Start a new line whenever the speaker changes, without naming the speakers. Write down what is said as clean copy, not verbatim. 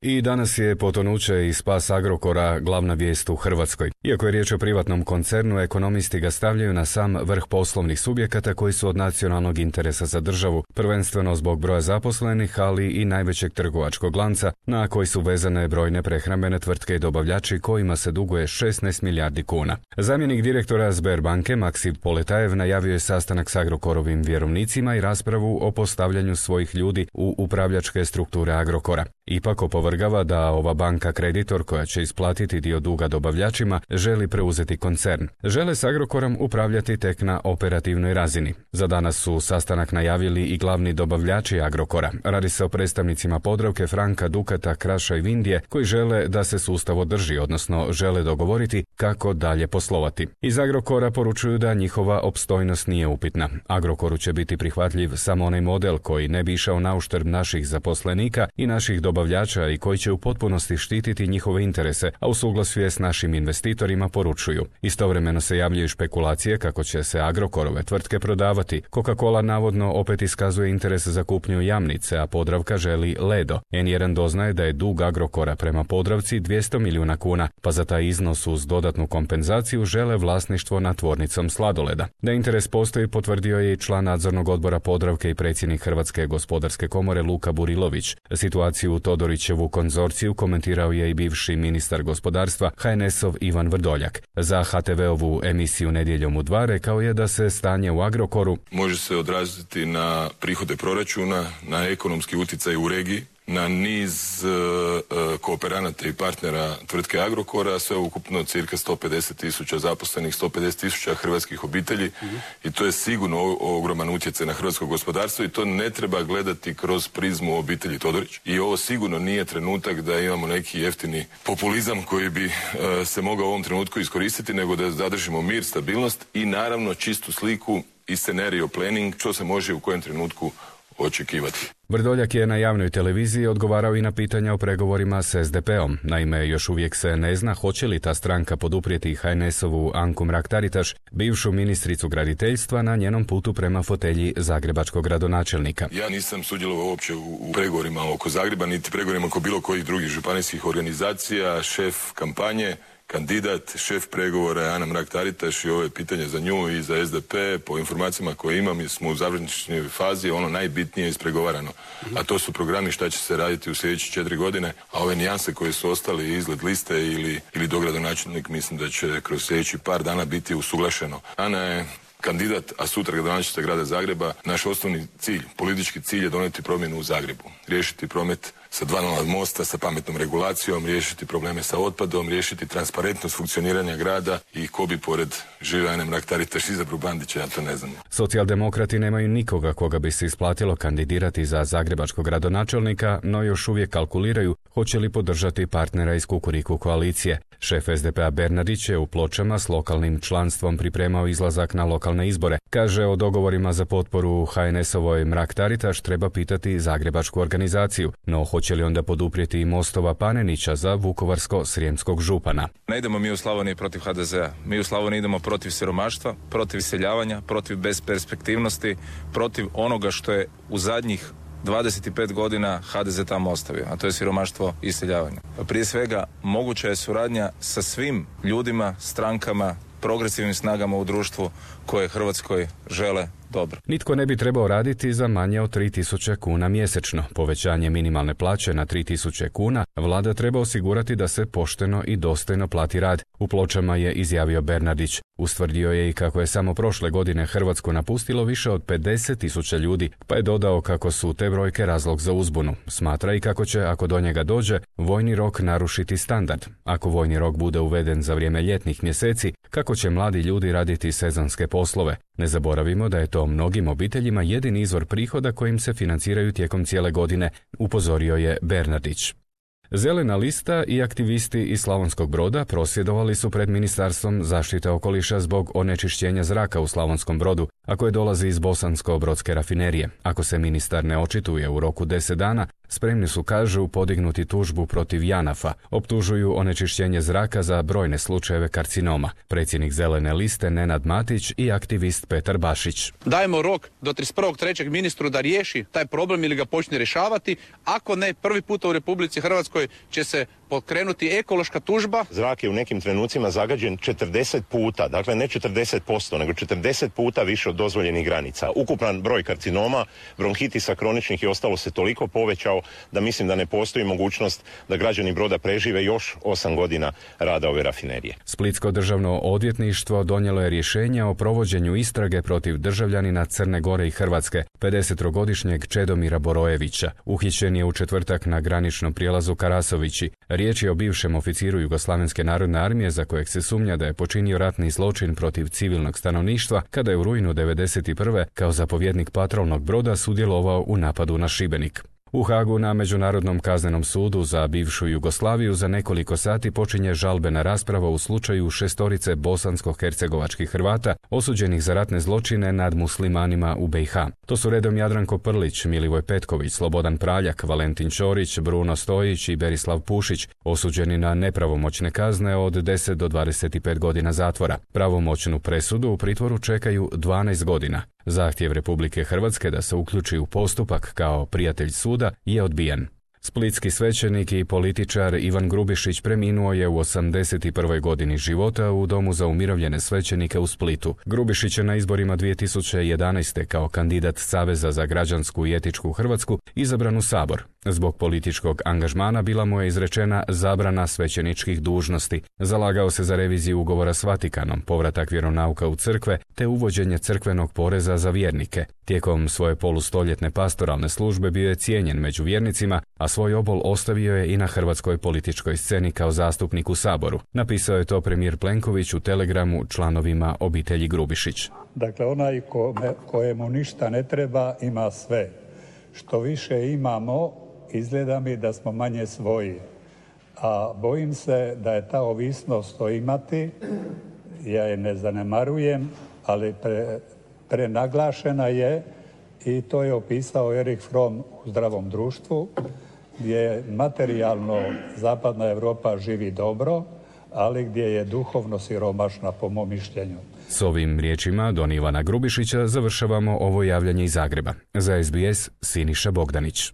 I danas je potonuće i spas Agrokora glavna vijest u Hrvatskoj. Iako je riječ o privatnom koncernu, ekonomisti ga stavljaju na sam vrh poslovnih subjekata koji su od nacionalnog interesa za državu, prvenstveno zbog broja zaposlenih, ali i najvećeg trgovačkog lanca, na koji su vezane brojne prehrambene tvrtke i dobavljači kojima se duguje 16 milijardi kuna. Zamjenik direktora Sberbanke Maksim Poletajev najavio je sastanak s Agrokorovim vjerovnicima i raspravu o postavljanju svojih ljudi u upravljačke strukture Agrokora. Ipak opovrgava da ova banka kreditor koja će isplatiti dio duga dobavljačima želi preuzeti koncern. Žele s Agrokorom upravljati tek na operativnoj razini. Za danas su sastanak najavili i glavni dobavljači Agrokora. Radi se o predstavnicima Podravke, Franka, Dukata, Kraša i Vindije koji žele da se sustav održi, odnosno žele dogovoriti kako dalje poslovati. Iz Agrokora poručuju da njihova opstojnost nije upitna. Agrokoru će biti prihvatljiv samo onaj model koji ne bi išao na uštrb naših zaposlenika i naših dobavljača i koji će u potpunosti štititi njihove interese, a u suglasju je s našim investitorima, poručuju. Istovremeno se javljaju špekulacije kako će se Agrokorove tvrtke prodavati. Coca-Cola navodno opet iskazuje interes za kupnju Jamnice, a Podravka želi Ledo. N1 doznaje da je dug Agrokora prema Podravci 200 milijuna kuna, pa za taj iznos uz dodatnu kompenzaciju žele vlasništvo nad tvornicom sladoleda. Da interes postoji potvrdio je i član nadzornog odbora Podravke i predsjednik Hrvatske gospodarske komore Luka Burilović. Situaciju u Todorićevu konzorciju komentirao je i bivši ministar gospodarstva HNS-ov Ivan Vrdoljak. Za HTV-ovu emisiju Nedjeljom u 2 rekao je da se stanje u Agrokoru
može se odraziti na prihode proračuna, na ekonomski utjecaj u regiji, na niz kooperanata i partnera tvrtke Agrokora, sve ukupno cirka 150.000 zaposlenih, 150.000 hrvatskih obitelji i to je sigurno ogroman utjecaj na hrvatsko gospodarstvo i to ne treba gledati kroz prizmu obitelji Todorić. I ovo sigurno nije trenutak da imamo neki jeftini populizam koji bi se mogao u ovom trenutku iskoristiti, nego da zadržimo mir, stabilnost i naravno čistu sliku i scenario planning, što se može u kojem trenutku očekivati.
Vrdoljak je na javnoj televiziji odgovarao i na pitanja o pregovorima s SDP-om. Naime, još uvijek se ne zna hoće li ta stranka poduprijeti HNS-ovu Anku Mrak-Taritaš, bivšu ministricu graditeljstva, na njenom putu prema fotelji zagrebačkog gradonačelnika.
Ja nisam sudjelovao uopće u pregovorima oko Zagreba, niti pregovorima oko bilo kojih drugih županijskih organizacija. Šef kampanje, kandidat, šef pregovora je Ana Mrak-Taritaš i ovo je pitanje za nju i za SDP. Po informacijama koje imam, smo u završnoj fazi, ono najbitnije ispregovarano. A to su programi šta će se raditi u sljedeće 4 godine, a ove nijanse koje su ostali, izgled liste ili dogradonačelnik, mislim da će kroz sljedeći par dana biti usuglašeno. Ana je kandidat, a sutra gradonačelnica grada Zagreba. Naš osnovni cilj, politički cilj je donijeti promjenu u Zagrebu. Riješiti promet sa 2 nova mosta, sa pametnom regulacijom, riješiti probleme sa otpadom, riješiti transparentnost funkcioniranja grada i ko bi pored žive Ane Mrak-Taritaš izabru Bandića, ja to ne znam.
Socijaldemokrati nemaju nikoga koga bi se isplatilo kandidirati za zagrebačkog gradonačelnika, no još uvijek kalkuliraju hoće li podržati partnera iz Kukuriku koalicije. Šef SDP-a Bernardić je u Pločama s lokalnim članstvom pripremao izlazak na lokalne izbore. Kaže, o dogovorima za potporu HNS-ovoj Mrak-Taritaš treba pitati zagrebačku organizaciju, no hoće li onda poduprijeti i Mostova Panenića za vukovarsko-srijemskog župana.
Ne idemo mi u Slavoniji protiv HDZ-a. Mi u Slavoniji idemo protiv siromaštva, protiv iseljavanja, protiv besperspektivnosti, protiv onoga što je u zadnjih 25 godina HDZ tamo ostavio, a to je siromaštvo i iseljavanje. Prije svega, moguća je suradnja sa svim ljudima, strankama, progresivnim snagama u društvu koje Hrvatskoj žele dobro.
Nitko ne bi trebao raditi za manje od 3.000 kuna mjesečno. Povećanje minimalne plaće na 3.000 kuna vlada treba osigurati da se pošteno i dostojno plati rad. U Pločama je izjavio Bernardić. Ustvrdio je i kako je samo prošle godine Hrvatsku napustilo više od 50.000 ljudi, pa je dodao kako su te brojke razlog za uzbunu. Smatra i kako će, ako do njega dođe, vojni rok narušiti standard. Ako vojni rok bude uveden za vrijeme ljetnih mjeseci, kako će mladi ljudi raditi sezonske poslove. Ne zaboravimo da je to mnogim obiteljima jedini izvor prihoda kojim se financiraju tijekom cijele godine, upozorio je Bernardić. Zelena lista i aktivisti iz Slavonskog Broda prosvjedovali su pred Ministarstvom zaštite okoliša zbog onečišćenja zraka u Slavonskom Brodu, a koje dolazi iz Bosansko-brodske rafinerije. Ako se ministar ne očituje u roku 10 dana, Spremni su, kažu, podignuti tužbu protiv JANAF-a. Optužuju onečišćenje zraka za brojne slučajeve karcinoma. Predsjednik Zelene liste Nenad Matić i aktivist Petar Bašić.
Dajemo rok do 31.3. ministru da riješi taj problem ili ga počne rješavati. Ako ne, prvi puta u Republici Hrvatskoj će se pokrenuti ekološka tužba.
Zrak je u nekim trenucima zagađen 40 puta, dakle ne 40%, nego 40 puta više od dozvoljenih granica. Ukupan broj karcinoma, bronhitisa kroničnih i ostalo se toliko povećao da mislim da ne postoji mogućnost da građani Broda prežive još 8 godina rada ove rafinerije.
Splitsko državno odvjetništvo donijelo je rješenje o provođenju istrage protiv državljanina Crne Gore i Hrvatske, 50-godišnjeg Čedomira Borojevića. Uhićen je u četvrtak na graničnom prijelazu Karasovići. Riječ je o bivšem oficiru Jugoslavenske narodne armije za kojeg se sumnja da je počinio ratni zločin protiv civilnog stanovništva kada je u rujnu 1991. kao zapovjednik patrolnog broda sudjelovao u napadu na Šibenik. U Hagu na Međunarodnom kaznenom sudu za bivšu Jugoslaviju za nekoliko sati počinje žalbena rasprava u slučaju 6 bosansko-hercegovačkih Hrvata osuđenih za ratne zločine nad muslimanima u BiH. To su redom Jadranko Prlić, Milivoj Petković, Slobodan Praljak, Valentin Ćorić, Bruno Stojić i Berislav Pušić, osuđeni na nepravomoćne kazne od 10 do 25 godina zatvora. Pravomoćnu presudu u pritvoru čekaju 12 godina. Zahtjev Republike Hrvatske da se uključi u postupak kao prijatelj suda je odbijen. Splitski svećenik i političar Ivan Grubišić preminuo je u 81. godini života u Domu za umirovljene svećenike u Splitu. Grubišić je na izborima 2011. kao kandidat Saveza za građansku i etičku Hrvatsku izabran u Sabor. Zbog političkog angažmana bila mu je izrečena zabrana svećeničkih dužnosti. Zalagao se za reviziju ugovora s Vatikanom, povratak vjeronauka u crkve te uvođenje crkvenog poreza za vjernike. Tijekom svoje polustoljetne pastoralne službe bio je cijenjen među vjernicima, a svoj obol ostavio je i na hrvatskoj političkoj sceni kao zastupnik u Saboru. Napisao je to premijer Plenković u telegramu članovima obitelji Grubišić.
Dakle, onaj kojemu ništa ne treba ima sve. Što više imamo, izgleda mi da smo manje svoji. A bojim se da je ta ovisnost o imati, ja je ne zanemarujem, ali prenaglašena je i to je opisao Erich Fromm u Zdravom društvu, gdje materijalno zapadna Europa živi dobro, ali gdje je duhovno siromašna, po mom mišljenju.
S ovim riječima Don Ivana Grubišića završavamo ovo javljanje iz Zagreba. Za SBS Siniša Bogdanić.